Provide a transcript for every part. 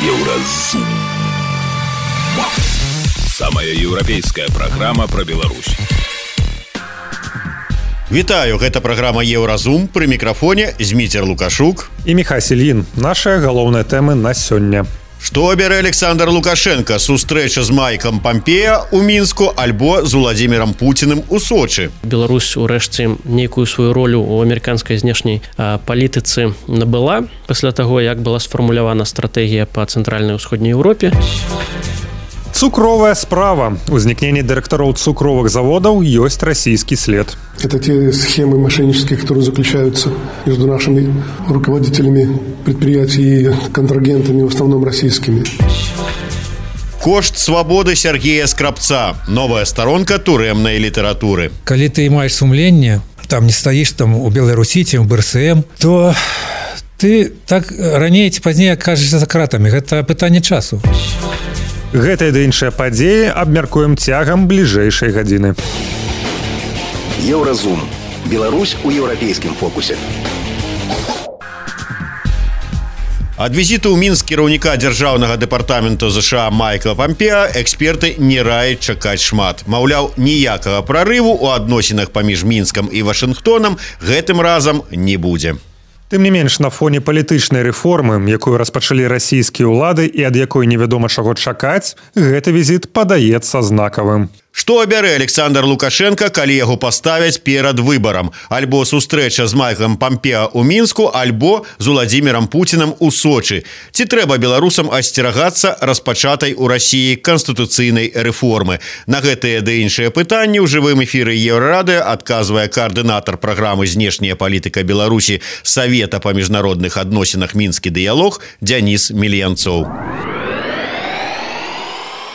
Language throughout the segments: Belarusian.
Еўразум. Самая еўрапейская праграма пра Беларусь. Вітаю, гэта праграма Еўразум, пры мікрафоне Зміцер Лукашук і Міхась Ільін. Нашыя галоўныя тэмы на сёння. Што абярэ Александр Лукашенко? Сустрэча з Майкам Пампеа ў Мінску альбо з Уладзімірам Пуціным у Сочы? Беларусь урэшце нейкую сваю ролю ў амерыканскай знешняй палітыцы набыла пасля таго, як была сфармулявана стратэгія па цэнтральнай і ўсходняй Еўропе. Цукровая справа. Узнікненне дырэктароў цукровых заводаў ёсць расійскі след. Это те схемы мошеннические, которые заключаются между нашими руководителями предприятий и контрагентами, в основном российскими. Кошт свабоды Сергея Скрабца. Новая сторонка турэмнай літаратуры. Калі ты маеш сумленне, там не стаіш там у Беларусі, ці ў БРСМ, то ты так раней ці пазней акажешся за кратамі. Гэта пытанне часу. Гэтыя ды іншыя падзеі абмяркуем цягам бліжэйшай гадзіны. Еўразум. Беларусь у еўрапейскім фокусе. Ад візіту ў Мінск кіраўніка дзяржаўнага дэпартаменту ЗША Майкла Пампеа эксперты не раяць чакаць шмат. Маўляў, ніякага прарыву ў адносінах паміж Мінскам і Вашынгтонам гэтым разам не будзе. Тым не менш, на фоне палітычнай рэформы, якую распачалі расійскія ўлады і ад якой невядома чаго чакаць, гэты візіт падаецца знакавым. Што абярэ Александр Лукашенко, калі яго паставяць перад выбарам? Альбо сустрэча з Майклам Пампеа ў Мінску, альбо з Уладзімірам Пуцінам у Сочы. Ці трэба беларусам асцерагацца распачатай у Расіі канстытуцыйнай рэформы? На гэтыя ды іншыя пытанні ў жывым эфіры Еўрарадыё адказвае каардынатар праграмы «Знешняя палітыка Беларусі» Савета па міжнародных адносінах «Мінскі дыялог» Дзяніс Мільянцоў.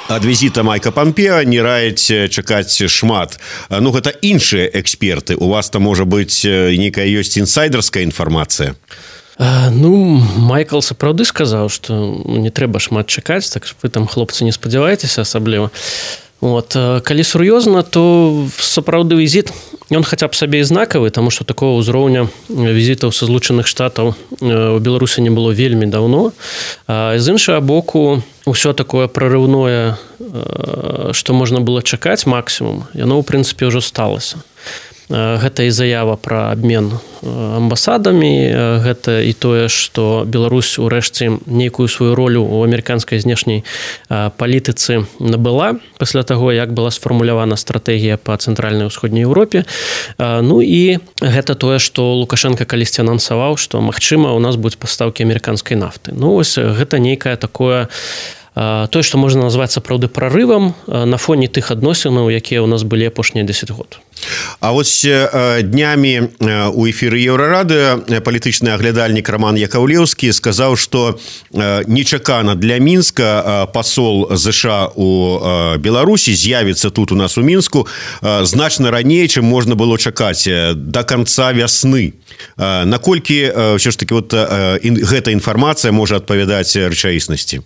Ад візіта Майка Пампеа не раяць чакаць шмат. Ну, гэта іншыя эксперты. У вас там, можа быць, нейкая ёсць інсайдерская інфармацыя? Майкл сапраўды сказаў, што не трэба шмат чакаць, так вы там, хлопцы, не спадзяваецеся асабліва. Калі сур'ёзна, то сапраўды візіт, ён хаця б сабе і знакавы, таму што такого ўзроўня візітаў са Злучаных Штатаў у Беларусі не было вельмі даўно. З іншага боку, ўсё такое прарыўное, што можна было чакаць максімум, яно, ў прынцыпе, ўжо сталася. Гэта і заява пра абмен амбасадамі, гэта і тое, што Беларусь урэшце нейкую сваю ролю ў амерыканскай знешняй палітыцы набыла пасля таго, як была сфармулявана стратэгія па цэнтральнай і ўсходняй Еўропе. Ну і гэта тое, што Лукашенко калісьці анансаваў, што, магчыма, у нас будуць пастаўкі амерыканскай нафты. Ну, вось гэта нейкае такое тое, што можна назваць сапраўды прарывам на фоне тых адносінаў, якія ў нас былі апошнія 10 год. А вось днямі у эфіры Еўрарадыё палітычны аглядальнік Роман Якаўлеўскі сказаў, што нечакана для Мінска пасол ЗША у Беларусі з'явіцца тут у нас у Мінску значна раней, чым можна было чакаць, да канца вясны. Наколькі ўсё ж такі гэта інфармацыя можа адпавядаць рэчаіснасці?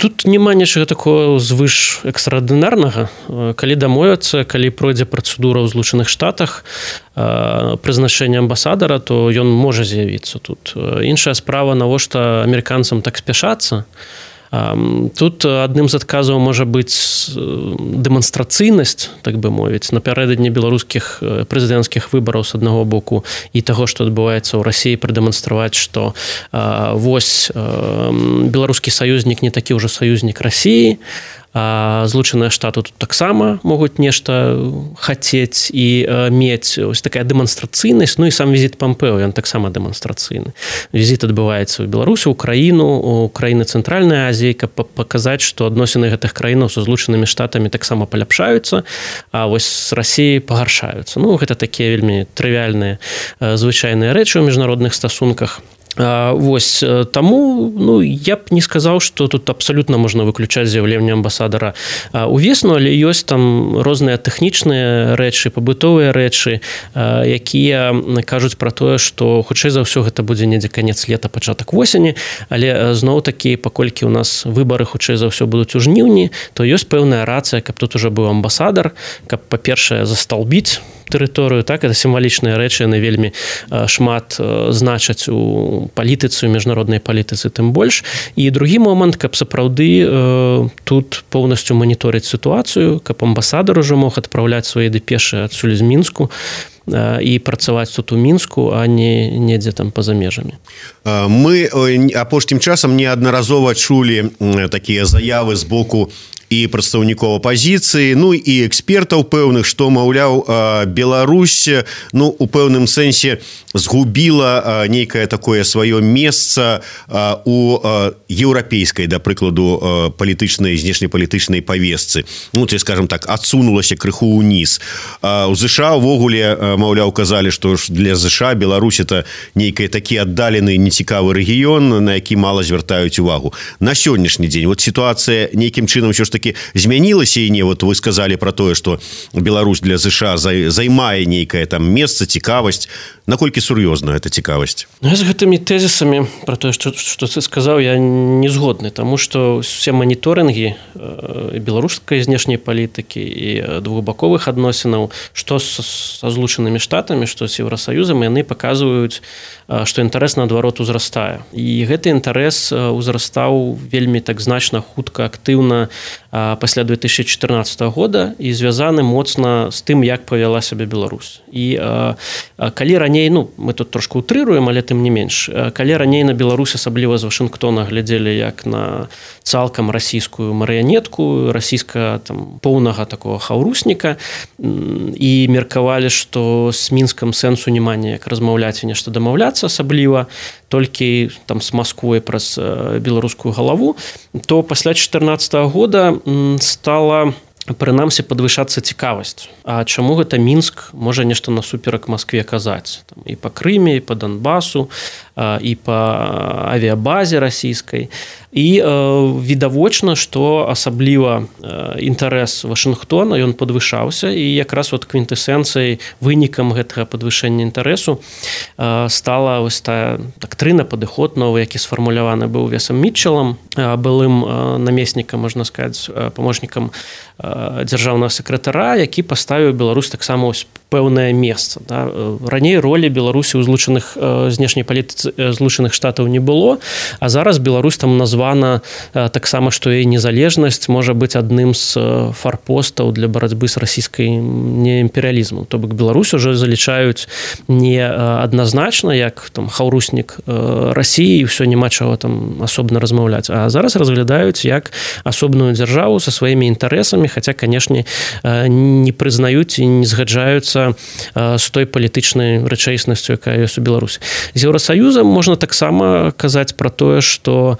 Тут няма нічога такого звыш экстраардынарнага. Калі дамовяцца, калі пройдзе працэдура ў Злучаных Штатах прызначэння амбасадара, то ён можа з'явіцца тут. Іншая справа, навошта амерыканцам так спяшацца. Тут адным з адказаў можа быць дэманстрацыйнасць, так бы мовіць, напярэдадні беларускіх прэзідэнцкіх выбараў з аднаго боку і таго, што адбываецца ў Расіі, прадэманстраваць, што вось беларускі саюзнік не такі ўжо саюзнік Расіі, а Злучаныя Штаты тут таксама могуць нешта хацець і мець. Ось такая дэманстрацыйнасць, ну і сам візіт Пампео, ён таксама дэманстрацыйны. Візіт адбываецца ў Беларусі, ў краіну, у краіны Цэнтральнай Азіі, каб паказаць, што адносіны гэтых краінаў са Злучанымі Штатамі таксама паляпшаюцца, а вось з Расіяй пагаршаюцца. Ну, гэта такія вельмі трывіальныя, звычайныя рэчы ў міжнародных стасунках. Вось, таму, я б не сказаў, што тут абсалютна можна выключаць з'яўленне амбасадара увесну, але ёсць там розныя тэхнічныя рэчы, пабытовыя рэчы, якія кажуць пра тое, што хутчэй за ўсё гэта будзе недзе канец лета, пачатак восені, але зноў-такі, паколькі ў нас выбары хутчэй за ўсё будуць у жніўні, то ёсць пэўная рацыя, каб тут ужо быў амбасадар, каб, па-першае, засталбіць тэрыторыю, так, это сімвалічныя рэчы, яны вельмі шмат значаць у палітыцы, у міжнароднай палітыцы тым больш. І другі момант, каб сапраўды тут поўнасцю маніторыць сітуацыю, каб амбасадар ужо мог адпраўляць свае дэпешы адсюль з Мінску і працаваць тут у Мінску, а не недзе там па-за межамі. Мы апошнім часам неаднаразова чулі такія заявы з боку і прадстаўнікоў апазіцыі, ну і экспертаў пэўных, што, маўляў, Беларусь, ну, у пэўным сэнсе згубіла нейкае такое сваё месца у еўрапейскай, да прыкладу, палітычнай, знешнепалітычнай павестцы. Ну, ці, скажам так, адсунулася крыху ўніз. У ЗША ўвогуле, маўляў, казалі, што для ЗША Беларусь это нейкі такі аддалены, нецікавы рэгіён, на які мала звяртаюць увагу. На сённяшні дзень вот сітуацыя нейкім чынам ўсё ж такі змянілася і не, вот вы сказалі пра тое, што Беларусь для ЗША займае нейкае там месца, цікавасць. Наколькі сур'ёзна эта цікавасць? Ну, з гэтымі тэзісамі пра тое, што ты сказаў, я не згодны, таму што усе маніторынгі беларускай знешняй палітыкі і двухбаковых адносінаў, што са Злучанымі Штатамі, што з Еўрасаюзам, яны паказваюць, што інтарэс наадварот узрастае. І гэты інтарэс узрастаў вельмі так значна, хутка, актыўна пасля 2014 года і звязаны моцна з тым, як павяла сябе Беларусь. І калі раней, ну, мы тут трошку утрыруем, але тым не менш, калі раней на Беларусь, асабліва з Вашынгтона, глядзелі як на цалкам расійскую марыянетку, расійска там поўнага такого хаўрусніка, і меркавалі, што з Мінскам сэнсу няма неяк размаўляць і нешта дамаўляцца, асабліва толькі там з Масквой праз беларускую галаву, то пасля 2014 года стала прынамсі падвышацца цікавасць. А чаму гэта Мінск можа нешта насуперак Маскве казаць? Там, і па Крыме, і па Донбасу, і па авіябазе расійскай. І відавочна, што асабліва інтарэс Вашынгтона, ён падвышаўся, і якраз от квінтэсенцыяй, вынікам гэтага падвышэння інтарэсу стала вось тая дактрына, падыход новы, які сфармуляваны быў Весам Мітчелам, былым намеснікам, можна сказаць, памочнікам дзяржаўнага сакратара, які паставіў Беларусь таксама ось пэўнае месца. Да? Раней ролі Беларусі ў злучаных знешняй палітыцы Злучаных Штатаў не было, а зараз Беларусь там названа таксама, што і незалежнасць можа быць адным з фарпостаў для барацьбы з расійскім імперыялізмам. То бок Беларусь уже залічаюць не адназначна, як там хаўруснік Расіі, і ўсё няма чаго там асобна размаўляць, а зараз разглядаюць як асобную дзяржаву са сваімі інтарэсамі, хаця, канешне, не прызнаюць і не згаджаюцца з той палітычнай рэчаіснасцю, якая ёсць у Беларусі. З Еўрасаюзам можна таксама казаць пра тое, што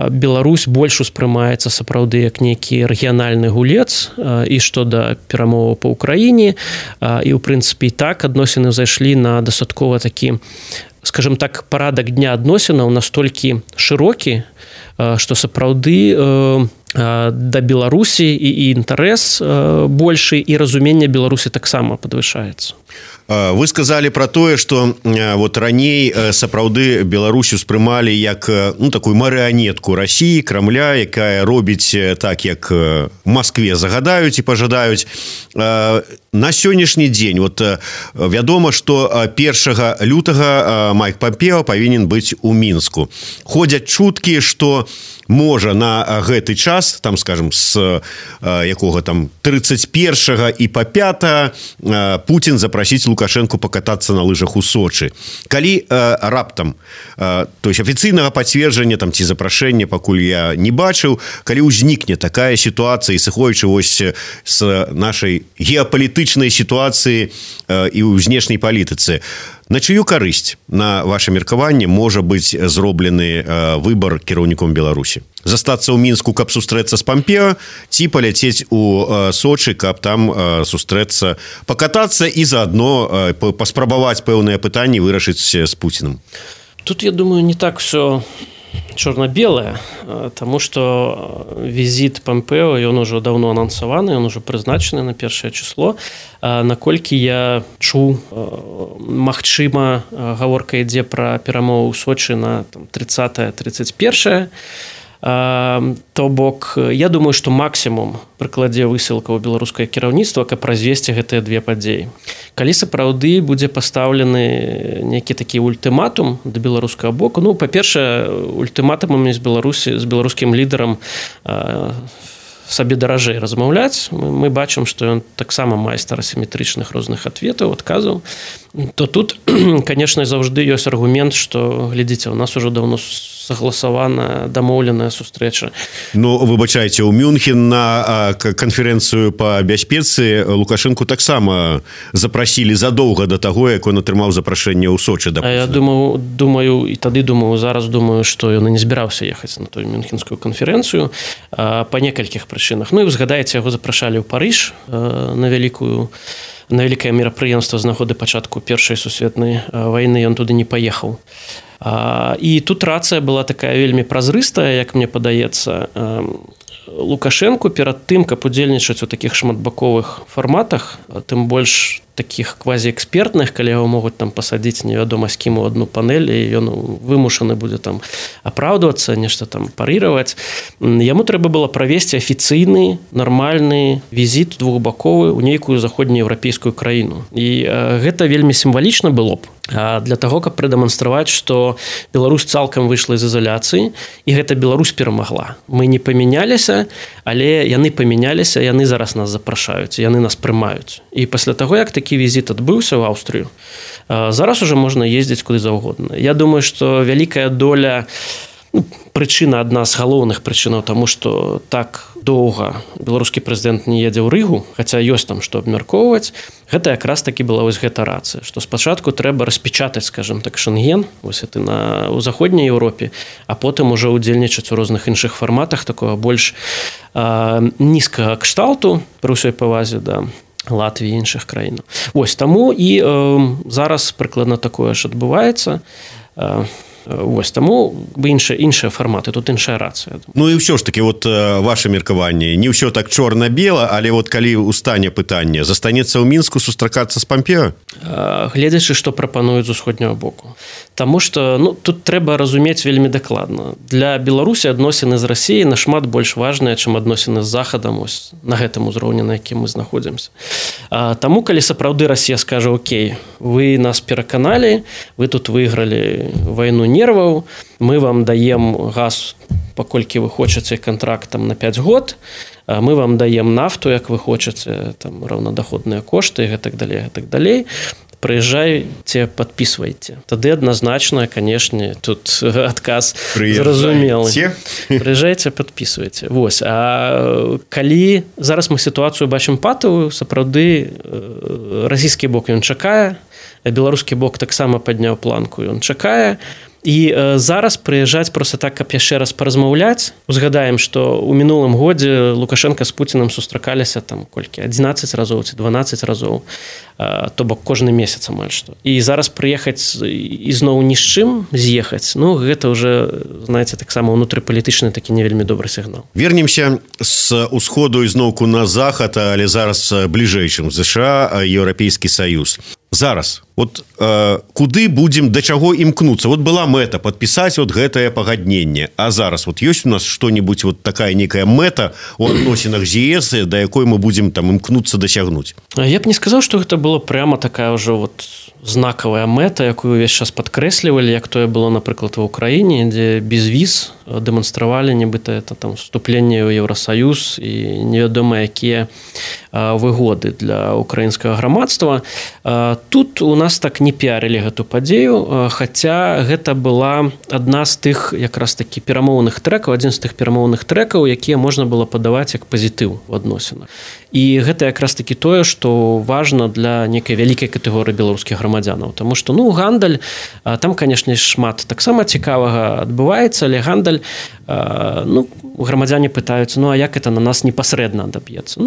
Беларусь больш успрымаецца сапраўды як нейкі рэгіянальны гулец, і што да перамоваў па Ўкраіне, і ў прынцыпе і так адносіны зайшлі на дастаткова такі, скажем так, парадак дня адносінаў настолькі шырокі, што сапраўды да Беларусі і інтарэс большы, і разуменне Беларусі таксама падвышаецца. Вы сказалі пра тое, што вот раней сапраўды Беларусь успрымалі як такую марыянетку Расіі, Крамля, якая робіць так, як Маскве загадаюць і пажадаюць. На сённяшні дзень вот вядома, што 1 лютага Майк Пампео павінен быць у Мінску. Ходзяць чуткі, што можа на гэты час, там, скажем, з якога там 31 і па 5 Путін запрасіць Лукашенку пакатацца на лыжах у Сочы. Калі раптам, то есть афіцыйнага пацверджання там ці запрашэння пакуль я не бачыў, калі ўзнікне такая сітуацыя, сыходзячы вось з нашай геапалітычнай сітуацыі і ў знешняй палітыцы, на чыю карысць, на ваше меркаванне, можа быць зроблены выбар кіраўніком Беларусі? Застацца ў Мінску, каб сустрэцца з Пампео, ці паляцець у Сочы, каб там сустрэцца, пакатацца і заадно паспрабаваць пэўныя пытанні вырашыць з Пуцінам? Тут, я думаю, не так все чорна-белае, таму што візіт Пампео, ён ужо даўно анансаваны, ён ужо прызначаны на 1 число. Наколькі я чуў, магчыма, гаворка ідзе пра перамову ў Сочы на 30-31, То бок я думаю, што максімум прыкладзе высілкаў беларускае кіраўніцтва, каб развесці гэтыя две падзеі. Калі сапраўды будзе пастаўлены нейкі такі ультыматум да беларускага боку, ну, па-першае, ультыматумамі з беларускім лідарам сабе даражэй размаўляць. Мы бачым, што ён таксама майстар асіметрычных розных адветаў, адказаў. То тут, канешне, заўжды ёсць аргумент, што, глядзіце, у нас ужо даўно согласаваная, дамоўленая сустрэча. Ну, выбачайце, у Мюнхен на канферэнцыю па бяспецы Лукашэнку таксама запрасілі задоўга да таго, як ён атрымаў запрашэнне ў Сочы. Я думаю, і тады зараз думаю, што ён і не збіраўся ехаць на тую мюнхенскую канферэнцыю па некалькіх прычынах. Ну, і згадаеце, яго запрашалі ў Парыж на вялікае мерапрыемства з нагоды пачатку Першай сусветнай вайны, ён туды не паехаў. І тут рацыя была такая вельмі празрыстая, як мне падаецца. Лукашэнку перад тым, каб удзельнічаць у такіх шматбаковых фарматах, тым больш такіх квазіэкспертных, калі яго могуць там пасадзіць невядома з кім у адну панель, і ён вымушаны будзе там апраўдвацца, нешта там парыраваць. Яму трэба было правесці афіцыйны, нармальны візіт двухбаковы ў нейкую заходнееўрапейскую краіну. І гэта вельмі сімвалічна было б для таго, каб прадэманстраваць, што Беларусь цалкам выйшла з ізаляцыі, і гэта Беларусь перамагла. Мы не памяняліся, але яны памяняліся, яны зараз нас запрашаюць, яны нас прымаюць. І пасля таго, як такі візіт адбыўся ў Аўстрыю, зараз уже можна ездзіць куды заўгодна. Я думаю, што вялікая доля, прычына, адна з галоўных прычынаў таму, што так доўга беларускі прэзідэнт не едзе ў Рыгу, хаця ёсць там што абмяркоўваць, гэта якраз такі была вось гэта рацыя, што спачатку трэба распечатаць, скажем так, Шэнген, вось это ў заходняй Еўропе, а потым ужо ўдзельнічаць у розных іншых фарматах такога больш нізкага кшталту, пры ўсёй павазе да Латвіі і іншых краінаў. Вось таму і зараз прыкладна такое ж адбываецца. Вось таму іншыя фарматы, тут іншая рацыя. Ну і ўсё ж такі, вот ваше меркаванне, не ўсё так чорна-бела, але вот калі устане пытанне, застанецца ў Мінску сустракацца з Пампеа? Гледзячы, што прапануюць з усходняго боку. Таму што тут трэба разумець вельмі дакладна. Для Беларусі адносіны з Расіяй нашмат больш важныя, чым адносіны з Захадам, ось на гэтым узроўні, на якім мы знаходзімся. Таму, калі сапраўды Расія скажа: окей, вы нас пераканалі, вы тут выйгралі вайну нерваў, мы вам даем газ, паколькі вы хочаце, кантракт там на 5 год, мы вам даем нафту, як вы хочаце, там раўнадаходныя кошты і гэтак далей. Прыязджайце, падпісвайце. Тады адназначна, канешне, тут адказ зразумелы. Прыязджайце, падпісвайце. Вось. А калі зараз мы сітуацыю бачым патавую, сапраўды расійскі бок ён чакае, беларускі бок таксама падняў планку, ён чакае. І зараз прыязджаць проста так, каб яшчэ раз паразмаўляць. Узгадаем, што ў мінулым годзе Лукашенка з Пуцінам сустракаліся там колькі, 11 разоў ці 12 разоў, то бок кожны месяц амаль што. І зараз прыехаць і зноў ні з чым з'ехаць, ну гэта ўжо, знаеце, таксама ўнутрыпалітычны такі не вельмі добры сігнал. Вернемся з усходу ізноўку на захад, але зараз бліжэй, чым ЗША, Еўрапейскі Саюз. Зараз, вот куды будзем, да чаго імкнуцца? Вот была мэта падпісаць вот гэтае пагадненне, а зараз вот ёсць у нас што-небудзь вот такая некая мэта у адносінах з ЕС, да якой мы будзем там імкнуцца дасягнуць? Я б не сказаў, што гэта было прямо такая ўжо вот знакавая мэта, якую ўвесь час падкрэслівалі, як тое было, напрыклад, ва ўкраіне, дзе без віз дэманстравалі, нібыта это там вступленне ў Еўрасаюз і невядома якія выгоды для украінскага грамадства. Тут у нас так не піарылі гэту падзею, хаця гэта была адна з тых якраз такі перамоўных трэкаў, адзін з тых перамоўных трэкаў, якія можна было падаваць як пазітыў у адносінах. І гэта якраз такі тое, што важна для нейкай вялікай катэгорыі беларускіх грамадзянаў. Таму што, гандаль, там, канешне, шмат таксама цікавага адбываецца, але гандаль, грамадзяне пытаюцца, а як это на нас непасрэдна адаб'ецца?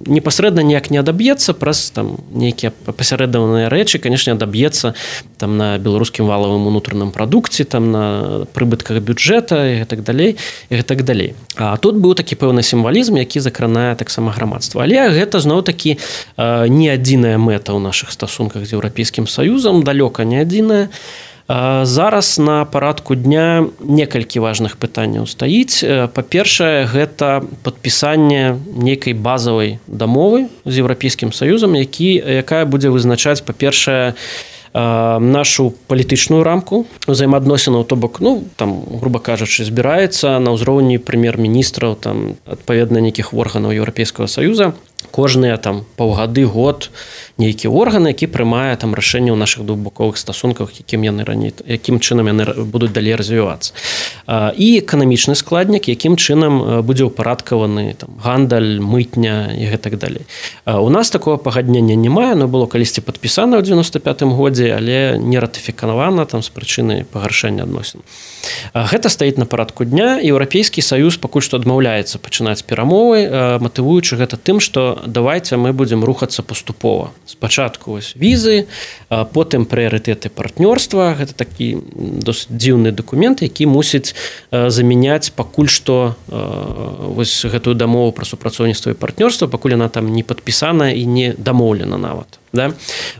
Непасрэдна ніяк не адаб'ецца, праз там нейкія пасярэдаваныя рэчы, канешне, адаб'ецца там на беларускім валавым унутраным прадукце, там на прыбытках бюджэта і гэтак далей. А тут быў такі пэўны сімвалізм, які закранае таксама грамадства. Але гэта зноў-такі не адзіная мэта ў нашых стасунках з Еўрапейскім Саюзам, далёка не адзіная. Зараз на парадку дня некалькі важных пытанняў стаіць. Па-першае, гэта падпісанне нейкай базавай дамовы з Еўрапейскім Саюзам, якая будзе вызначаць, па-першае, нашу палітычную рамку ўзаемаадносінаў, то бок, там, груба кажучы, збіраецца на ўзроўні прэм'ер-міністраў, там, адпаведна нейкіх органаў Еўрапейскага Саюза, кожныя там паўгады, год нейкі орган, які прымае там рашэнне ў нашых двухбаковых стасунках, якім чынам яны будуць далей развівацца. І эканамічны складнік, якім чынам будзе ўпарадкаваны там гандаль, мытня і гэтак далей. У нас такого пагаднення не мае, оно было калісьці падпісана ў 95-м годзе, але не ратыфікавана там з прычыны пагаршэння адносін. Гэта стаіць на парадку дня. Еўрапейскі Саюз пакуль што адмаўляецца пачынаць перамовы, матывуючы гэта тым, што давайте мы будзем рухацца паступова. Спачатку візы, потым прыярытэты партнёрства. Гэта такі досыць дзіўны дакумент, які мусіць замяняць пакуль што гэтую дамову пра супрацоўніцтва і партнёрства, пакуль яна там не падпісана і не дамоўлена нават. Да?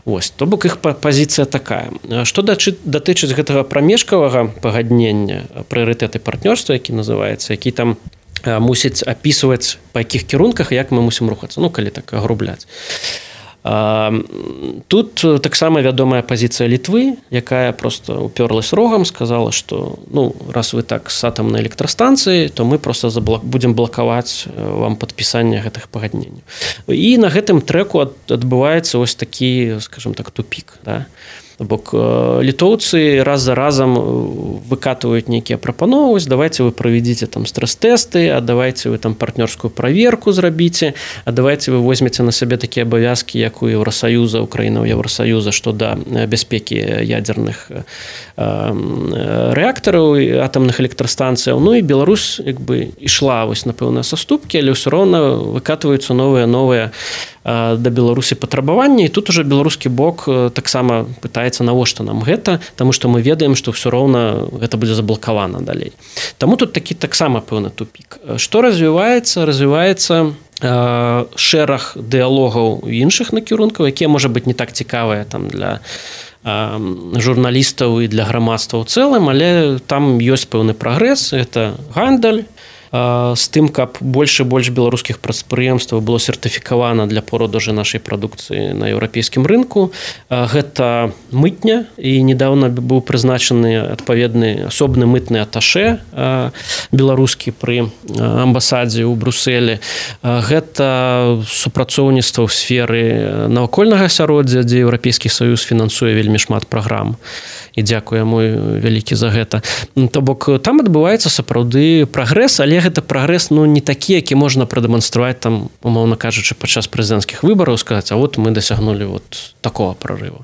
То бок іх пазіцыя такая. Што датычыць гэтага прамежкавага пагаднення, прыярытэты партнёрства, які называецца, які там мусіць апісваць, па якіх кірунках, як мы мусім рухацца, калі так агрубляць. Тут таксама вядомая пазіцыя Літвы, якая просто уперлась рогам, сказала, што раз вы так з атамнай электрастанцыі, то мы просто будзем блакаваць вам падпісанне гэтых пагадненняў. І на гэтым трэку адбываецца вось такі, скажем так, тупік, да? Бок літоўцы раз за разам выкатываюць нейкія прапановы, давайте вы правядзіце там стрэс-тэсты, а давайте вы там партнёрскую праверку зрабіце, а давайте вы возьмеце на сябе такія абавязкі, як у Еўрасаюза, Украіна ў Еўрасаюза, што да бяспекі ядзерных рэактараў і атамных электрастанцыяў. І Беларусь ішла напэўна саступкі, але ўсё роўна выкатваюцца новыя да Беларусі патрабаванні, і тут уже беларускі бок таксама пытаецца, навошта нам гэта, таму што мы ведаем, што ўсё роўна гэта будзе заблакавана далей. Таму тут такі таксама пэўны тупік. Што развіваецца? Развіваецца шэраг дыялогаў іншых накірункаў, якія, можа быць, не так цікавыя там для журналістаў і для грамадства ў цэлым, але там ёсць пэўны прагрэс, гэта гандаль, з тым, каб больш і больш беларускіх прадпрыемстваў было сертыфікавана для продажу нашай прадукцыі на еўрапейскім рынку. Гэта мытня, і недавно быў прызначаны адпаведны асобны мытны аташэ беларускі пры амбасадзе ў Брусэлі. Гэта супрацоўніцтва ў сферы навакольнага асяроддзя, дзе Еўрапейскі Саюз фінансуе вельмі шмат праграм. І дзякуй яму вялікі за гэта. То бок там адбываецца сапраўды прагрэс, але гэта прагрэс не такі, які можна прадэманстраваць там, умоўна кажучы, падчас прэзідэнцкіх выбараў, сказаць, а мы дасягнулі такого прарыву.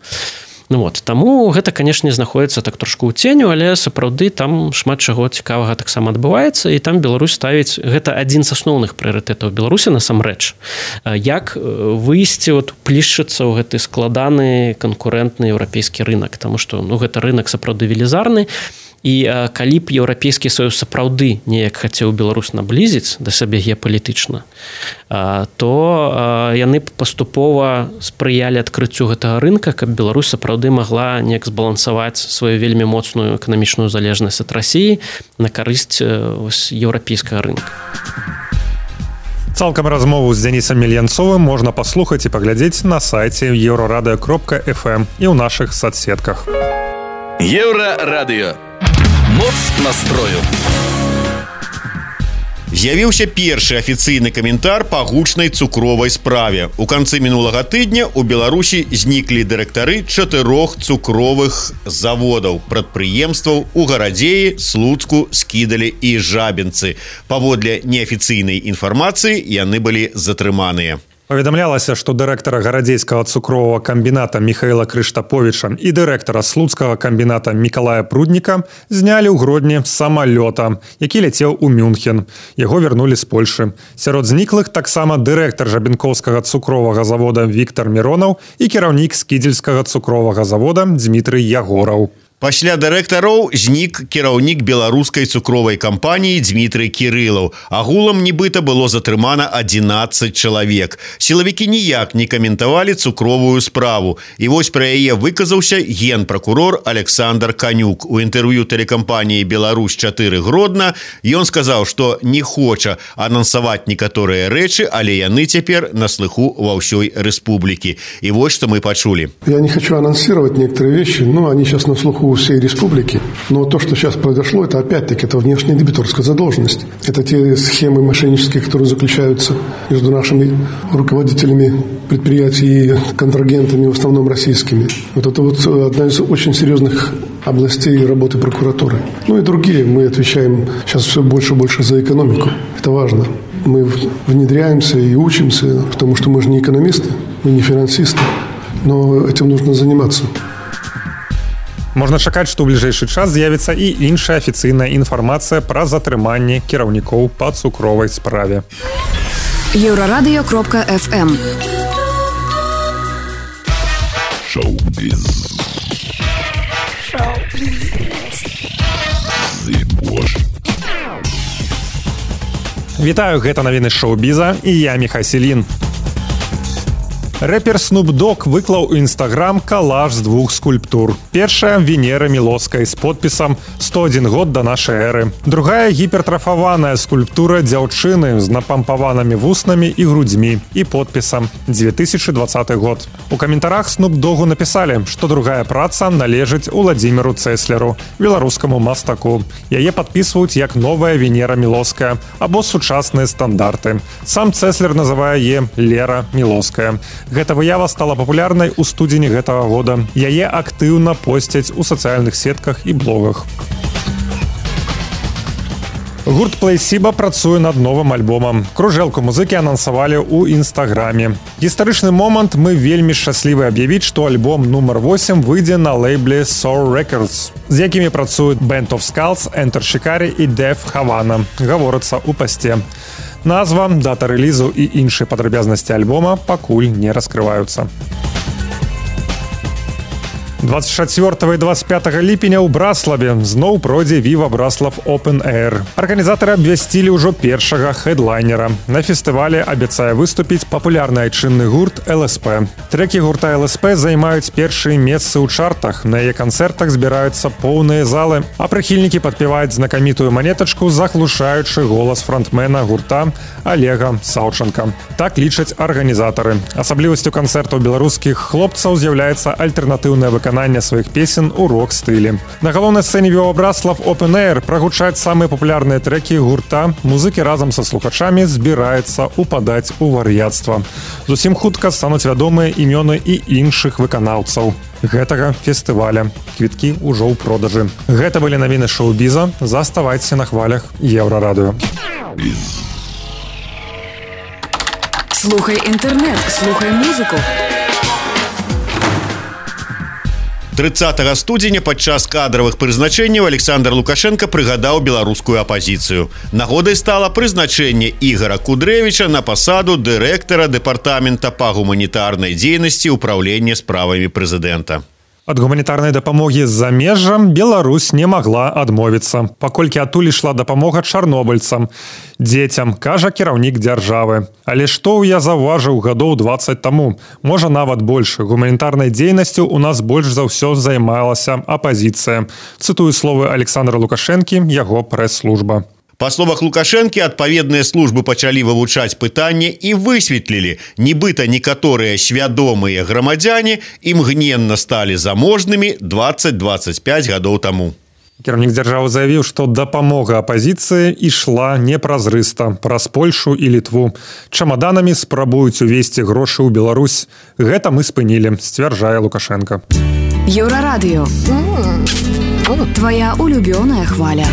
Таму гэта, канешне, знаходіцца так трошку ў ценю, але сапраўды там шмат чаго цікавага таксама адбываецца, і там Беларусь ставіць, гэта адзін з асноўных прыярытэтаў Беларусі насамрэч. Як выйсці, плішчыцца ў гэты складаны канкурэнтны еўрапейскі рынак, таму што гэта рынак сапраўды велізарны, і калі б Еўрапейскі Саюз сапраўды неяк хацеў Беларусь наблізіць да сябе геапалітычна, то яны б паступова спрыялі адкрыццю гэтага рынка, каб Беларусь сапраўды магла неяк збалансаваць сваю вельмі моцную эканамічную залежнасць ад Расіі на карысць еўрапейскага рынка. Цалкам размову з Дзянісам Мельянцовым можна паслухаць і паглядзець на сайце еўрарадыё.фм і ў нашых соцсетках. Еўрарадыё. Моц настрою. З'явіўся першы афіцыйны каментар па гучнай цукровай справе. У канцы мінулага тыдня ў Беларусі зніклі дырэктары 4 цукровых заводаў, прадпрыемстваў у Гарадзеі, Слуцку, Скідалі і Жабінцы. Паводле неафіцыйнай інфармацыі яны былі затрыманыя. Паведамлялася, што дырэктара гарадзейскага цукровага камбіната Міхаіла Крыштаповіча і дырэктара слуцкага камбіната Мікалая Прудніка знялі ў Гродні з самалёта, які ляцеў у Мюнхен. Яго вярнулі з Польшы. Сярод зніклых таксама дырэктар жабінкоўскага цукровага завода Віктар Міронаў і кіраўнік скідзельскага цукровага завода Дзмітрый Ягораў. Пасля дырэктароў знік кіраўнік беларускай цукровай кампаніі Дмітрый Кірылаў. Агулам нібыта было затрымана 11 чалавек. Сілавікі ніяк не каментавалі цукровую справу. І вось пра яе выказаўся генпракурор Александр Канюк. У інтэрв'ю тэлекампаніі «Беларусь-4 Гродна» ён сказаў, што не хоча анансаваць некаторыя рэчы, але яны цяпер на слыху ва ўсёй рэспублікі. І вось што мы пачулі. Я не хочу анонсировать некоторые вещи, но они сейчас на слуху у всей республики. Но то, что сейчас произошло, это опять-таки это внешняя дебиторская задолженность. Это те схемы мошеннические, которые заключаются между нашими руководителями предприятий и контрагентами, в основном российскими. Вот это вот одна из очень серьезных областей работы прокуратуры. Ну и другие. Мы отвечаем сейчас все больше и больше за экономику. Это важно. Мы внедряемся и учимся, потому что мы же не экономисты, мы не финансисты. Но этим нужно заниматься. Можна чакаць, што ў бліжэйшы час з'явіцца і іншая афіцыйная інфармацыя пра затрыманне кіраўнікоў па цукровай справе. Еврорадио.FM Шоу-біз. Вітаю, гэта навіны шоу-біза і я Міхай Селін. Рэпер Snoop Dogg выклаў у Instagram калаж з двух скульптур. Першая – Венера Мілоўскай з подпісам «101 год да нашай эры». Другая – гіпертрафаваная скульптура дзяўчыны з напампаванымі вуснамі і грудзьмі і подпісам «2020 год». У каментарах Snoop Dogg'у напісалі, што другая праца належыць Уладзіміру Цэслеру, беларускаму мастаку. Яе падпісваюць як новая Венера Мілоўская або сучасныя стандарты. Сам Цэслер называе яе Лера Мілоўская. Гэта выява стала папулярнай у студзені гэтага года. Яе актыўна посцяць у сацыяльных сетках і блогах. Гурт Плейсіба працуе над новым альбомам. Кружэлку музыкі анансавалі ў Інстаграме. Гістарычны момант мы вельмі шчаслівы аб'явіць, што альбом нумар 8 выйдзе на лейбле Soul Records, з якімі працуюць Band of Skulls, Enter Shikari і Def Havana, гаворыцца ў пасце. Назва, дата рэлізу і іншыя падрабязнасці альбома пакуль не раскрываюцца. 24 і 25 ліпеня ў Браславе зноў пройдзе Viva Braslav Open Air. Арганізатары абвясцілі ўжо першага хэдлайнера. На фестывале абяцае выступіць папулярны айчынны гурт ЛСП. Трекі гурта ЛСП займаюць першыя месцы ў чартах. На яе канцэртах збіраюцца поўныя залы, а прыхільнікі падпяваюць знакамітую манетачку, заглушаючы голас фронтмена гурта Олега Саўчанка. Так лічаць арганізатары. Асаблівасцю канцэртаў беларускіх хлопцаў з'яўляецца альтэрнатыўнае выкананне сваіх песен у рок-стылі. На галоўнай сцэне Viva Braslav Open Air прагучаць самыя папулярныя трэкі гурта. Музыкі разам са слухачамі збіраюцца упадаць у вар'яцтва. Зусім хутка стануць вядомыя імёны і іншых выканаўцаў гэтага фестываля. Квіткі ўжо ў продажы. Гэта былі навіны шоу-біза. Заставайцеся на хвалях Еўрарадыё. Слухай інтэрнэт, слухай музыку. 30 студзеня падчас кадравых прызначэнняў Александр Лукашенко прыгадаў беларускую апазіцыю. Нагодай стала прызначэнне Ігора Кудрэвіча на пасаду дырэктара дэпартамента па гуманітарнай дзейнасці ўпраўлення справамі прэзідэнта. Ад гуманітарнай дапамогі з замежжа Беларусь не магла адмовіцца, паколькі адтуль ішла дапамога чарнобыльцам, дзецям, кажа кіраўнік дзяржавы. Але што я заўважыў гадоў 20 таму, можа нават больш, гуманітарнай дзейнасцю у нас больш за ўсё займалася апазіцыя. Цытую словы Александра Лукашэнкі, яго прэс-служба. Па словах Лукашэнкі, адпаведныя службы пачалі вывучаць пытанне і высветлілі, нібыта некаторыя свядомыя грамадзяне імгненна сталі заможнымі 20-25 гадоў таму. Кіраўнік дзяржавы заявіў, што дапамога апазіцыі ішла непразрыста праз Польшу і Літву. Чамаданамі спрабуюць увесці грошы ў Беларусь. Гэта мы спынілі, сцвярджае Лукашенко. Еўрарадыё. Твоя улюбёная хваля.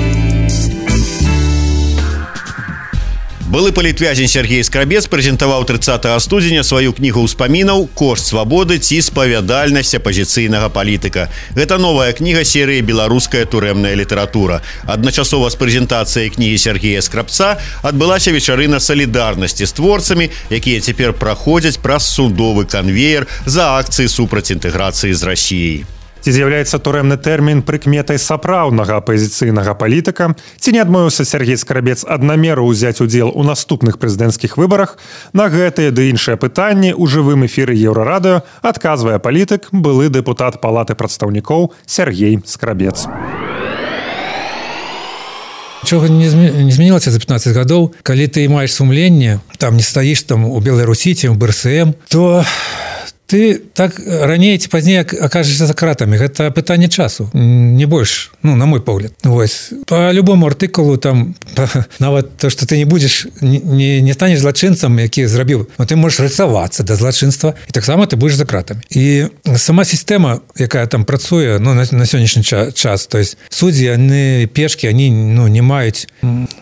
Былы палітвязень Сергей Скрабец прэзентаваў 30 студзеня сваю кнігу ўспамінаў «Кошт свабоды ці спавядальнасць апазіцыйнага палітыка». Гэта новая кніга серыі «Беларуская турэмная літаратура». Адначасова з прэзентацыяй кнігі Сергея Скрабца адбылася вечарына салідарнасці з творцамі, якія цяпер праходзяць праз судовы канвеер за акцыі супраць інтэграцыі з Расіяй. Ці з'яўляецца турэмны тэрмін прыкметай сапраўднага апазіцыйнага палітыка? Ці не адмовіўся Сергей Скрабец аднамеру ўзяць удзел у наступных прэзідэнцкіх выбарах? На гэтыя ды іншыя пытанні ў жывым эфіры Еўрарадыё адказвае палітык, былы дэпутат Палаты прадстаўнікоў Сергей Скрабец. Нічога не змянілася за 15 гадоў. Калі ты маеш сумленне, там не стаіш там у Беларусі, ці ў БРСМ, то ты так раней ці пазней акажешся за кратамі. Гэта пытанне часу, не больш, на мой погляд. Вось. По любому артыкулу там нават то, што ты не будзеш, не станеш злачынцам, які зрабіў, но ты можаш рыцавацца да злачынства, і таксама ты будзеш за кратамі. І сама сістэма, якая там працуе, на сённяшні час, то есть суддзі, яны пешкі, они не маюць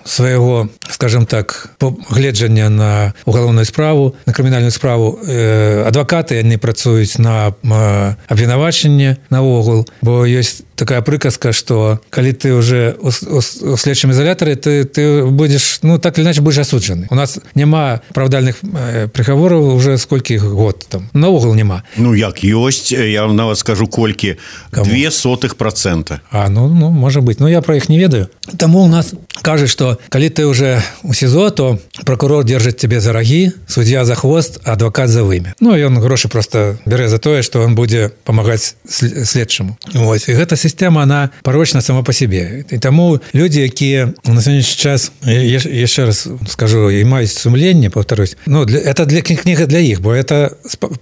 свайго, скажем так, гледжання на уголовную справу, на крымінальную справу. Адвакаты, яны працуюць на абвінавачанне наогул, бо ёсць такая прыказка, што калі ты уже у следчым изолятары, ты будзеш, так или иначе будзеш асуджаны. У нас няма правдальных прыгавораў уже сколькі год там. Наогул няма. Як ёсць, я вам нават скажу колькі. 0,02%. Можа быць. Я про іх не ведаю. Таму у нас кажа, што калі ты уже у СІЗО, то прокурор держыць тебе за рагі, суддзя за хвост, а адвакат за вымя. Ён грошы просто бярэ за тое, што он будзе памагаць следчаму. Вось. І гэта сістэма, она парочна сама по себе. І таму людзі, якія на сённяшні час, яшчэ раз скажу, і маюць сумленне, повторюсь, это кніга для іх, бо это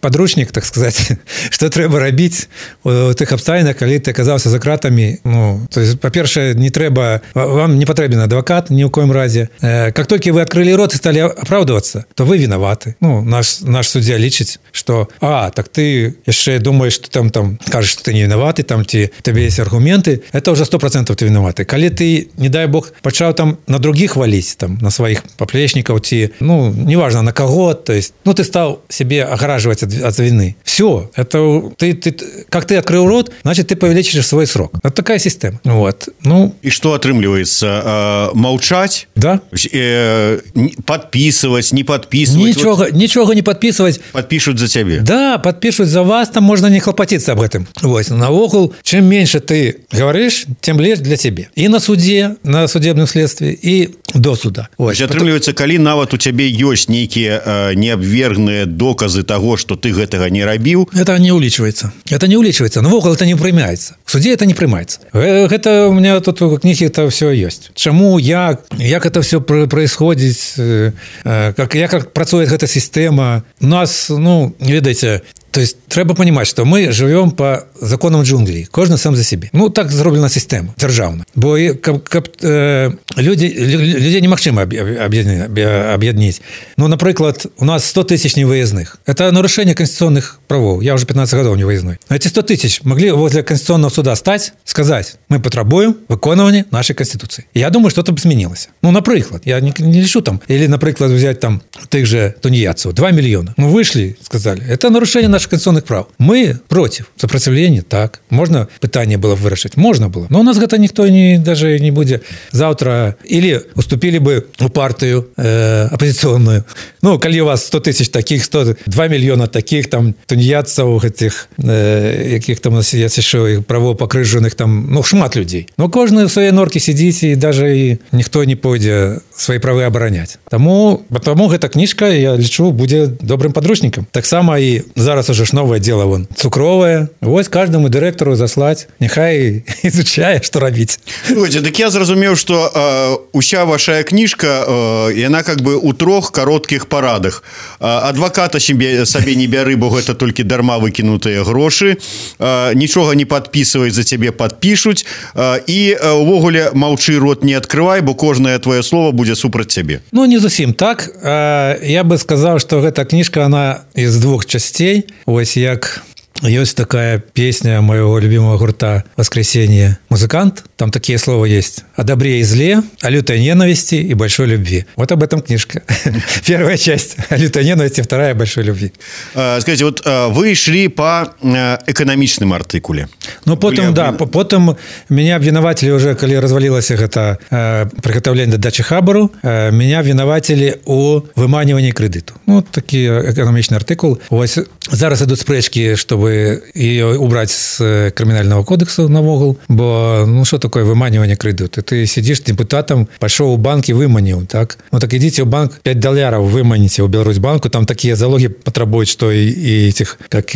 подручнік, так сказать, што трэба рабіць у тых абставінах, калі ты аказаўся за кратамі. То есть, па-першае, не трэба, вам не патрэбен адвакат ні ў коім разе. Как толькі вы адкрылі рот і сталі апраўдвацца, то вы вінаваты. Наш суддзя лічыць, што так ты яшчэ думаеш, што там кажаш, што ты не вінаваты, там ці табе есть аргументы, это уже 100% ты вінаваты. Калі ты, не дай бог, пачаў там на других валіць, там, на сваіх паплечнікаў, ці, неважно на кого, то есть, ты стал себе огораживать от вины. Все, это как ты открыл рот, значит, ты повеличишь свой срок. Это такая система. Вот. И что отрымливается? Молчать? Да. Подписывать, не подписывать? Ничего не подписывать. Подпишут за тебя? Да, подпишут за вас, там можно не хлопотиться об этом. Вот. Наогул, чем меньше ты говоришь, тем легче для тебя. И на суде, на судебном следствии, и до суда. Вот. Атрымліваецца, калі нават у цябе ёсць нейкія неабвергныя доказы таго, што ты гэтага не рабіў. Это не улічваецца. Это не улічваецца. Навогул это не прымаецца. В суде это не прымаецца. Гэта у меня тут у кнігі это все ёсць. Чаму, як это все происходит, як працуе гэта сістэма. У нас, ведаеце, то есть трэба понимать, что мы живем по законам джунглей. Кожны сам за себе. Так зроблена система державна. Бо людей немагчыма объединить. Например, у нас 100 тысяч невыездных. Это нарушение конституционных правов. Я уже 15 годов невыездной. Эти 100 тысяч могли возле Конституционного суда стать, сказать, мы потребуем выконывания нашей Конституции. Я думаю, что-то бы изменилось. Например, я не лечу там. Или, например, взять там тех же тунеядцев. 2 миллиона. Вышли, сказали, это нарушение наших конституционных прав. Мы против. Сопротивление, так. Можно пытание было вырашить? Можно было. Но у нас это никто даже не будет завтра. Или уступили бы у партию оппозиционную. Коли у вас 100 тысяч таких, 2 миллиона таких, там, тунеядцев, этих, яких там у нас есть еще правопокрыженных, там, шмат людей. Кожны в своей норке сидит, и даже и никто не пойдет свои правы оборонять. Тому эта книжка, я лечу, будет добрым подручником. Так само и зараз уже новое дело, цукровое. Вот каждому директору заслать, нехай изучае, что робить. Слушайте, так я зразумеў, что уся ваша книжка, яна как бы у 3 коротких парадах. Адваката сабе не бяры, бо гэта толькі дарма выкінутыя грошы. Нічога не подписывай, за цябе подпишуць. І увогуле маўчы, рот не открывай, бо кожнае твоё слово будзе супраць цябе. Не зусім так. Я бы сказал, что эта книжка, она из 2 частей. Ось як ёсць такая песня моего любимого гурта «Воскресенье» «Музыкант». там такие слова есть: о добре и зле, о лютой ненависти и большой любви. Вот об этом книжка. Первая часть о лютой ненависти, вторая о большой любви. Скажите, вот вы шли по экономичным артыкуле. Ну, потом, да, потом меня обвинуватели уже, когда развалилось это приготовление дачи хабару, меня обвинуватели у выманивании кредиту. Ну, такий экономичный артикул. Ось зараз ідуть спрэчкі, чтобы ее убрать с криминального кодексу на вогул, бо, ну, что такое выманивание кредиту? Ты сидишь депутатом, пошел в банк и выманил, так? Ну, так идите в банк, $5 выманите у Беларусьбанку, там такие залоги потребуют, что и этих, как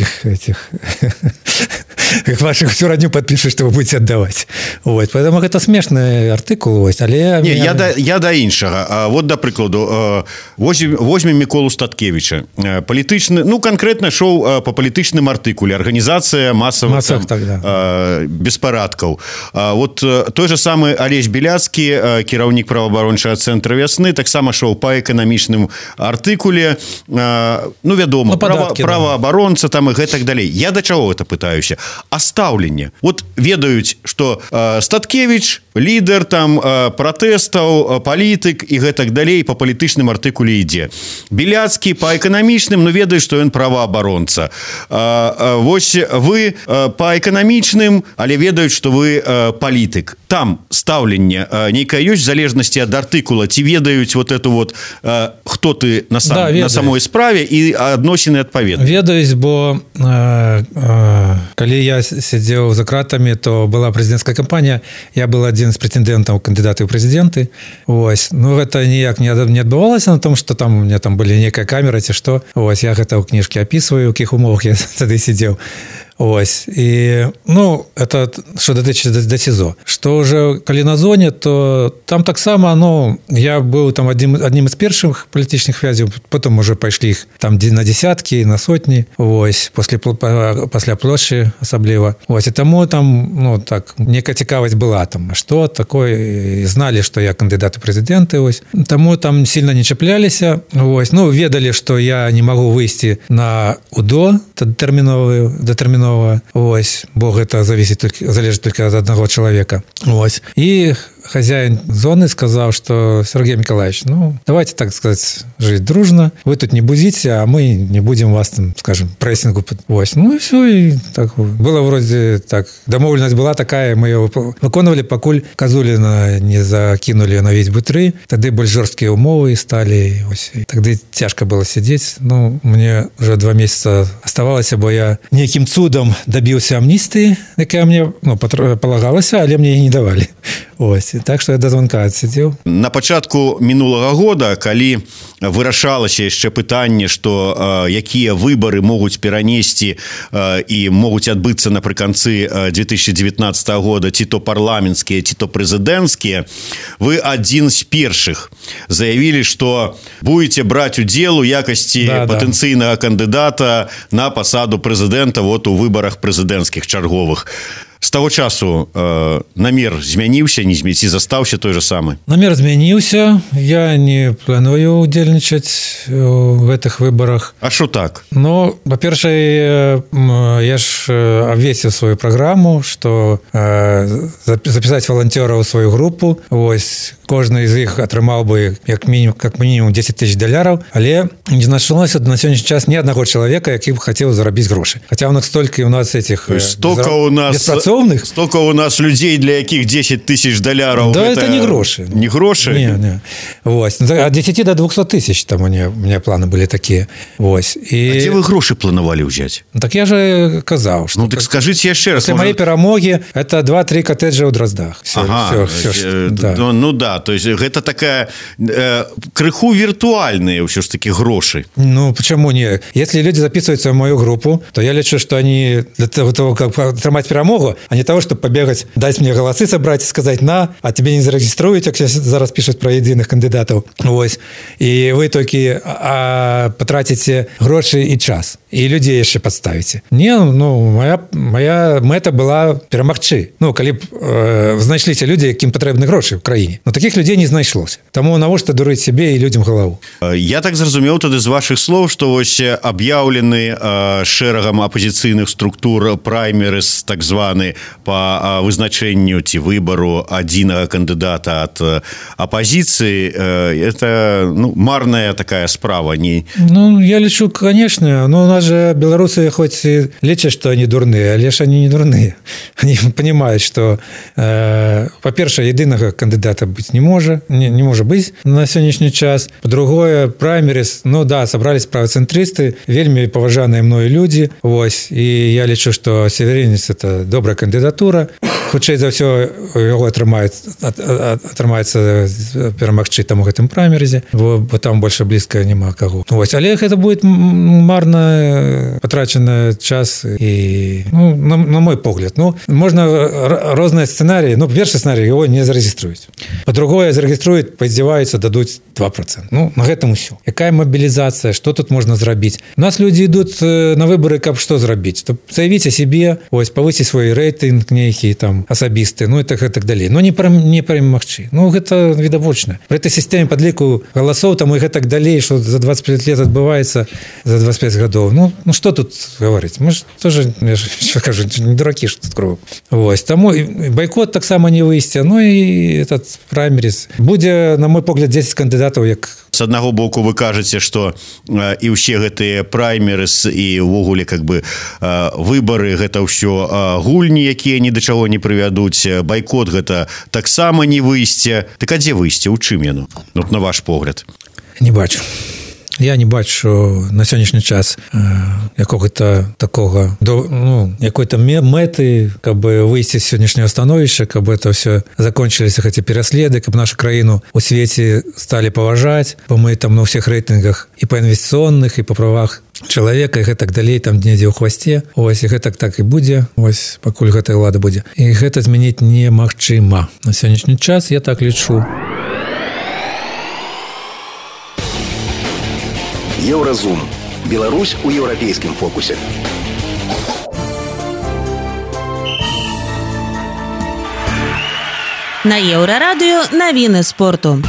ваших всю родню подпишут, что вы будете отдавать. Вот. Поэтому это смешный артикул. Ось, але не, я до іншага. Вот, до прикладу, возьмем Миколу Статкевича. Політичны, ну, конкретно шоу по палітычным артыкуле. Организация массовых беспарадкаў. Вот той же самый Олесь Беляцкі, кіраўнік праваабарончага цэнтра «Вясны», таксама шоу по эканамічным артыкуле. Ну, вядома, праваабаронца там и гэтак далей. Я до чаго гэта пытаюся? А стаўленне. Вот ведаюць, что Статкевич лідар там пратэстаў, палітык і гэтак далей по палітычным артыкуле ідзе. Беляцкі по эканамічным, ну, ведаюць, што ён праваабаронца. Вось вы по эканамічным, але ведаюць, што вы палітык. Там стаўленне нейкае ёсць в залежнасці ад артыкула, ці ведаюць вот эту вот хто ты на самой справе і адносіны адпаведна. Ведаюць, бо калі я сидел за кратами, то была президентская кампания, я был один из претендентов кандидата в президенты. Ось. Ну, это ніяк не отбывалось на том, что там у меня там были некая камера, ці что. Ось. Я это в книжке описываю, в каких умовах я тогда сидел. Ось. І, ну, это що дотичиться до СІЗО. Що вже коли на зоні, то там так само, ну, я був там одним із перших політичних в'язів, потім вже пішли їх там на десятки, на сотні, ось, після площі особливо. Ось, і тому там, ну, так, нека цікавість була там, а що таке, і знали, що я кандидат у президенти, ось. Тому там сильно не чіплялися, ось, ну, ведали, що я не можу вийти на УДО дотерміново, ось, бо гэта залежит только от одного человека. Ось. И хозяин зоны сказал, что Сергей Николаевич, ну, давайте, так сказать, жить дружно. Вы тут не будите, а мы не будем вас там, скажем, прессингу. Ось. Ну и все. И так было вроде так. Домовленность была такая, мы ее виконували, покуль Козулина не закинули на весь бутры. Тогда более жесткие умовы стали. Ось. И тогда тяжко было сидеть. Ну, мне уже 2 месяца оставалось, бо я неким цудом добился амнистии, якая мне, ну, полагалась, але мне и не давали. Ось. Так што я да звонка адсидзеў. На пачатку мінулага года, калі вырашалася яшчэ пытанне, што якія выбары могуць перанесці і могуць адбыцца напрыканцы 2019 года, ці то парламенцкія, ці то прэзідэнцкія, вы адзін з першых заявілі, што будете браць удзел у якасці патэнцыйнага кандыдата на пасаду прэзідэнта вот у выбарах прэзідэнцкіх чарговых. З таго часу намер змяніўся, не змяніўся, застаўся той же самы? Намер змяніўся. Я не планую удзельнічаць в гэтых выбарах. А што так? Ну, па-першае, я ж абвесціў сваю праграму, што запісаць валанцёраў у сваю групу. Вось, кожны з іх атрымаў бы як мінімум $10 000, але не знайшлося на сённяшні час ні аднаго чалавека, які б хацеў зарабіць грошы. Хаця ў нас столькі у нас этих беспрацоўных. Столько у нас людей, для якіх $10 000. Да, это не гроши. Не гроши? Не. Вось. От 10 до 200 тысяч там у меня планы были такие. Вось. И... А где вы гроши планировали взять? Так я же казал, что... Ну, так скажите еще раз. После моей перемоги это 2-3 коттеджа у Дроздах. Все, ага. Все, да. Ну да, то есть это такая крыху виртуальные все ж таки гроши. Ну, почему не? Если люди записываются в мою группу, то я лечу, что они для того, как отримать перемогу, а не того, чтобы побегать, дать мне голосы собрать и сказать «на», а тебе не зарегиструют, как сейчас зараз пишут про единых кандидатов. Ось. И вы только потратите гроши и час. И людей еще подставите. Не, ну, моя мета была перемагчы. Ну, коли знайшліся люди, яким потрібні гроші в країні. Но таких людей не знайшлося. Тому навошта дурить себе і людям голову? Я так зразумеў тады з ваших слов, што вось аб'яўлены шэрагам апозіцыйных структур праймерыз, так званы, сістэмы па вызначэнню ці выбару адзінага кандыдата ад апозіцыі, это марная такая справа. Я лічу, конечно, но у нас же белорусы хоть и лечат, что они дурные, але ж они не дурные. Они понимают, что, по-перше, единого кандидата быть не может быть на сегодняшний час. По-другое, праймерис, собрались правоцентристы, вельми поважанные мною люди, и я лечу, что Северинец – это добрая кандидатура. Хутчэй за ўсё яго атрымаецца перамагчы там у гэтым праймерызе, бо там больше блізка няма каго. Але гэта будет марна потрачаны час і, на мой погляд. Можна розныя сцэнарыі. Першы сцэнарый его не зарэгіструюць. По-другое, зарэгіструюць, паздзяваюцца, дадуць 2%. На гэтым усё. Якая мобілізацыя, што тут можна зрабіць? У нас людзі ідуць на выборы, каб што зрабіць? Заявіць о себе, павысіць свой рэйтынг нейкі там асабісты, і так далей. Не перамагчы. Гэта відавочна. Пры этой сістэме падліку галасоў там і гэтак далей, што за 25 лет адбываецца за 25 гадоў. Што тут гаварыць? Мы ж тоже, я кажу, не дуракі, што тут кроў. Таму байкот таксама не выйсце. І этот праймерис. Будзе, на мой погляд, 10 кандыдатаў, як с аднаго боку вы кажаце, што і ўсе гэтыя праймерыс і ўвогуле выбары гэта ўсё гульні, якія ні да чаго не прывядуць. Байкот гэта таксама не выйсце. Так а дзе выйсце? У чым яно? На ваш погляд. Не бачу. Я не бачу, що на сьогоднішній час якого-то такого, якої-то мети, каб вийти з сьогоднішнього становища, каб это все закончилися эти переследы, каб нашу країну у світі стали поважати, бо ми там на всіх рейтингах і по інвестиційних, і по правах чалавека, і гэтак далей, там недзе ў хвасце. І гэтак так і будзе, пакуль гэтая ўлада будзе. І гэта змяніць немагчыма. На сённяшні час я так лічу. Еўразум. Беларусь у еўрапейскім фокусе. На Еўрарадыё навіны спорту.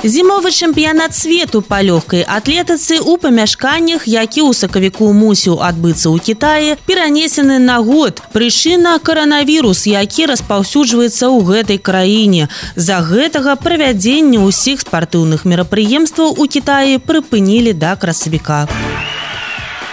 Зімовы чэмпіянат свету па лёгкай атлетыцы ў памяшканнях, які ў сакавіку мусіў адбыцца ў Кітаі, перанесены на год. Прычына – каранавірус, які распаўсюджваецца ў гэтай краіне. З-за гэтага правядзенне ўсіх спартыўных мерапрыемстваў у Кітаі прыпынілі да красавіка.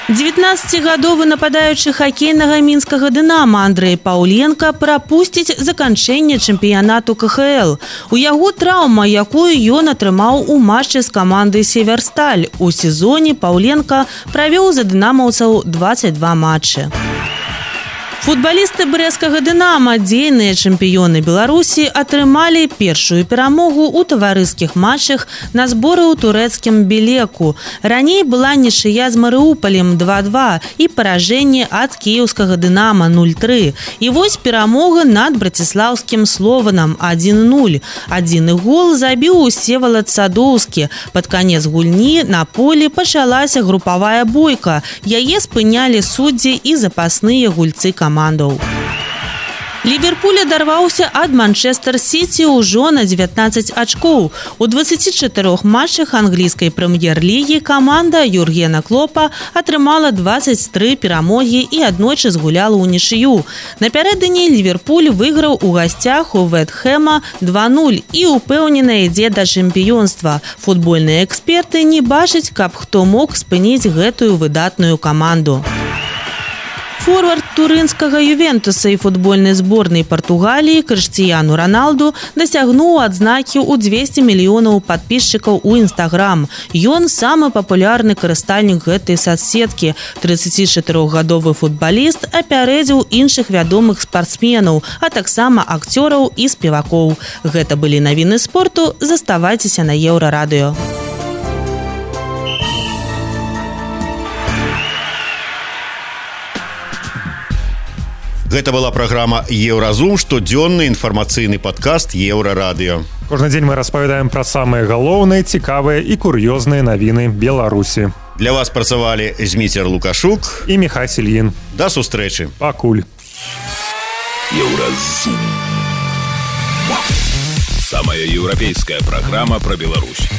19-гадовы нападаючы хакейнага мінскага «Дынама» Андрэй Паўленка прапусціць заканчэнне чэмпіянату КХЛ. У яго траўма, якую ён атрымаў у матчы з камандай «Северсталь». У сезоне Паўленка правёў за дынамаўцаў 22 матчы. Футбалісты брэсцкага «Дынама», дзейныя чэмпіёны Беларусі, атрымалі першую перамогу ў таварыскіх матчах на зборы ў турэцкім Белеку. Раней была нічыя з Марыупалем 2-2 і паражэнне ад кіеўскага «Дынама» 0-3. І перамога над браціслаўскім «Слованам» 1-0. Адзіны гол забіў Всевалад Садоўскі. Пад канец гульні на полі пачалася групавая бойка. Яе спынялі суддзі і запасныя гульцы камандаў. Ліверпуль адарваўся ад Манчестер-Сіці ўжо на 19 ачкоў. У 24 матчах англійскай прэм'ер-лігі каманда Юргена Клопа атрымала 23 перамогі і аднойчы згуляла ўнічыю. Напярэдадні Ліверпуль выйграў у гасцях у Вэст-Хэма 2-0 і ўпэўнена ідзе да чэмпіёнства. Футбольныя эксперты не бачаць, каб хто мог спыніць гэтую выдатную каманду. Форвард турынскага «Ювентуса» і футбольнай зборнай Партугаліі Крыштіяну Раналду дасягнуў адзнакі ў 200 мільёнаў падпісчыкаў у Інстаграм. Ён самы папулярны карыстальнік гэтай соцсеткі. 34-гадовы футбаліст апярэдзіў іншых вядомых спартсменаў, а таксама акцёраў і спевакоў. Гэта былі навіны спорту. Заставайцеся на Еўрарадыё. Гэта была праграма «Еўразум», штодзённы інфармацыйны падкаст «Еўрарадыё». Кожны дзень мы распавядаем пра самыя галоўныя, цікавыя і кур'ёзныя навіны Беларусі. Для вас працавалі Зміцер Лукашук і Міхась Ільін. Да сустрэчы. Пакуль. Еўразум. Самая еўрапейская праграма пра Беларусь.